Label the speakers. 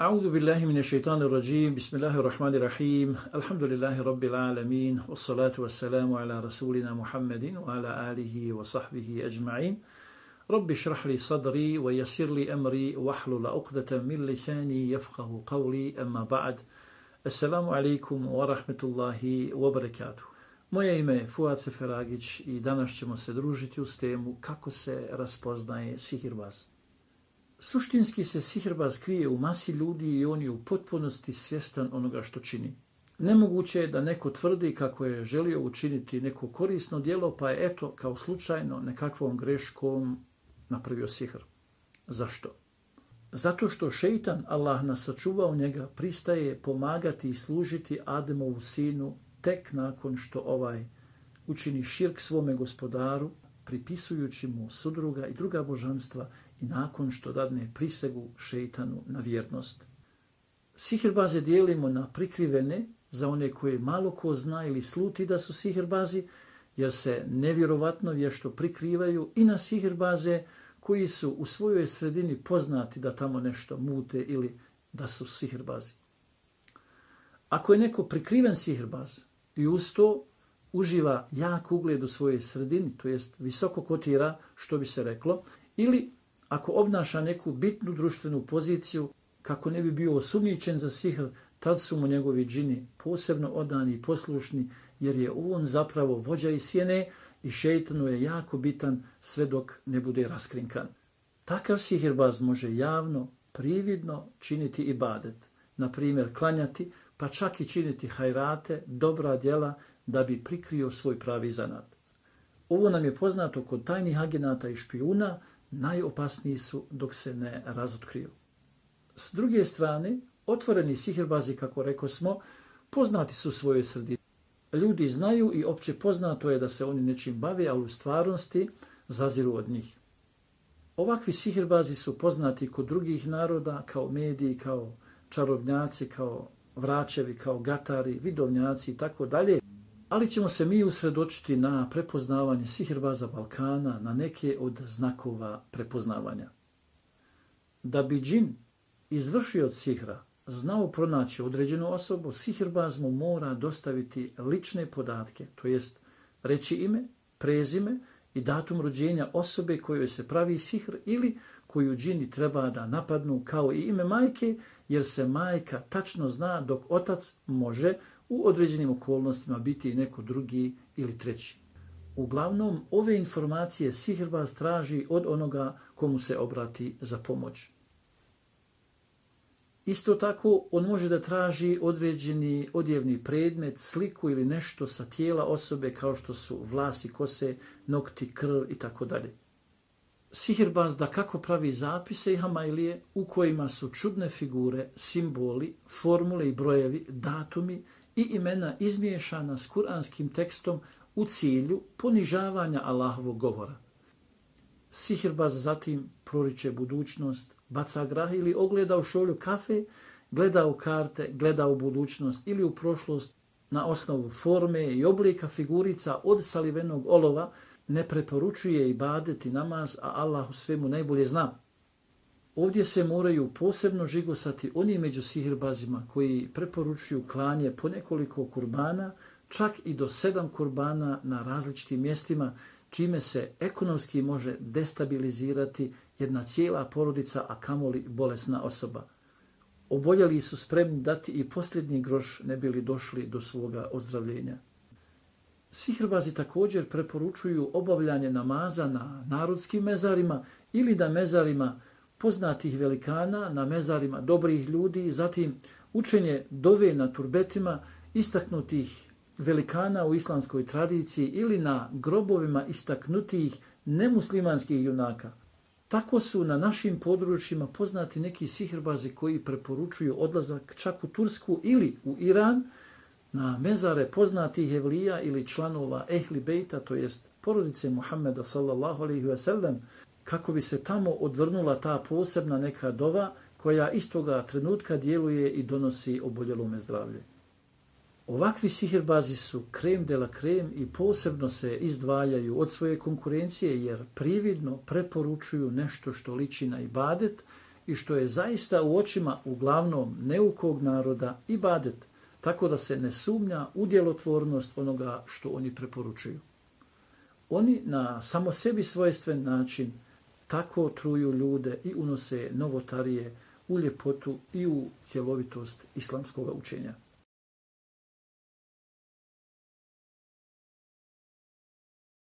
Speaker 1: أعوذ بالله من الشيطان الرجيم بسم الله الرحمن الرحيم الحمد لله رب العالمين والصلاة والسلام على رسولنا محمد وعلى آله وصحبه أجمعين رب اشرح لي صدري ويسر لي أمري واحلل عقدة من لساني يفقه قولي أما بعد السلام عليكم ورحمة الله وبركاته. Moje ime je Fuad Seferagić i danas ćemo se družiti uz temu kako se raspoznaje sihirbaz. Suštinski se sihirbaz krije u masi ljudi i on je u potpunosti svjestan onoga što čini. Nemoguće je da neko tvrdi kako je želio učiniti neko korisno djelo, pa je eto kao slučajno nekakvom greškom napravio sihr. Zašto? Zato što šeitan, Allah nas sačuvao njega, pristaje pomagati i služiti Ademovu sinu tek nakon što ovaj učini širk svome gospodaru, pripisujući mu sudruga i druga božanstva i nakon što dadne prisegu šeitanu na vjernost. Sihirbaze dijelimo na prikrivene, za one koje malo ko zna ili sluti da su sihirbazi, jer se nevjerovatno vješto prikrivaju, i na sihirbaze koji su u svojoj sredini poznati da tamo nešto mute ili da su sihirbazi. Ako je neko prikriven sihirbaz i uz to uživa jak ugled u svojoj sredini, to jest visoko kotira, što bi se reklo, ili ako obnaša neku bitnu društvenu poziciju, kako ne bi bio osumnjičen za sihr, tad su mu njegovi džini posebno odani i poslušni, jer je on zapravo vođa i sjene i šeitanu je jako bitan sve dok ne bude raskrinkan. Takav sihirbaz može javno, prividno činiti ibadet, na primjer klanjati, pa čak i činiti hajrate, dobra djela, da bi prikrio svoj pravi zanat. Ovo nam je poznato kod tajnih agenata i špijuna, najopasniji su dok se ne razotkriju. S druge strane, otvoreni sihirbazi, kako rekosmo, poznati su u svojoj sredini. Ljudi znaju i opće poznato je da se oni nečim bave, ali u stvarnosti zaziru od njih. Ovakvi sihirbazi su poznati kod drugih naroda kao mediji, kao čarobnjaci, kao vračevi, kao gatari, vidovnjaci i tako dalje. Ali ćemo se mi usredočiti na prepoznavanje sihirbaza Balkana, na neke od znakova prepoznavanja. Da bi džin izvršio od sihra znao pronaći određenu osobu, sihirbaz mu mora dostaviti lične podatke, to jest reći ime, prezime i datum rođenja osobe kojoj se pravi sihr ili koju džini treba da napadnu, kao i ime majke, jer se majka tačno zna, dok otac može u određenim okolnostima biti i neko drugi ili treći. Uglavnom, ove informacije sihirbaz traži od onoga komu se obrati za pomoć. Isto tako, on može da traži određeni odjevni predmet, sliku ili nešto sa tijela osobe, kao što su vlasi, kose, nokti, krv i tako dalje. Sihirbaz da kako pravi zapise i hamailije u kojima su čudne figure, simboli, formule i brojevi, datumi i imena izmiješana s kuranskim tekstom u cilju ponižavanja Allahovog govora. Sihirbaz zatim proriče budućnost, baca grah ili ogleda u šolju kafe, gleda u karte, gleda u budućnost ili u prošlost na osnovu forme i oblika figurica od salivenog olova, ne preporučuje ibadet i namaz, a Allah u svemu najbolje zna. Ovdje se moraju posebno žigosati oni među sihirbazima koji preporučuju klanje po nekoliko kurbana, čak i do 7 kurbana na različitim mjestima, čime se ekonomski može destabilizirati jedna cijela porodica, a kamoli bolesna osoba. Oboljeli su spremni dati i posljednji groš ne bili došli do svoga ozdravljenja. Sihirbazi također preporučuju obavljanje namaza na narodskim mezarima ili na mezarima poznatih velikana, na mezarima dobrih ljudi, zatim učenje dove na turbetima istaknutih velikana u islamskoj tradiciji ili na grobovima istaknutih nemuslimanskih junaka. Tako su na našim područjima poznati neki sihirbazi koji preporučuju odlazak čak u Tursku ili u Iran, na mezare poznatih evlija ili članova ehli bejta, to jest porodice Muhammeda sallallahu alejhi ve sellem, kako bi se tamo odvrnula ta posebna neka dova koja istoga trenutka djeluje i donosi oboljelome zdravlje. Ovakvi sihirbazi su krem de la krem i posebno se izdvajaju od svoje konkurencije jer prividno preporučuju nešto što liči na ibadet i što je zaista u očima uglavnom neukog naroda ibadet, tako da se ne sumnja u djelotvornost onoga što oni preporučuju. Oni na samo sebi svojstven način tako truju ljude i unose novotarije u ljepotu i u cjelovitost islamskog učenja.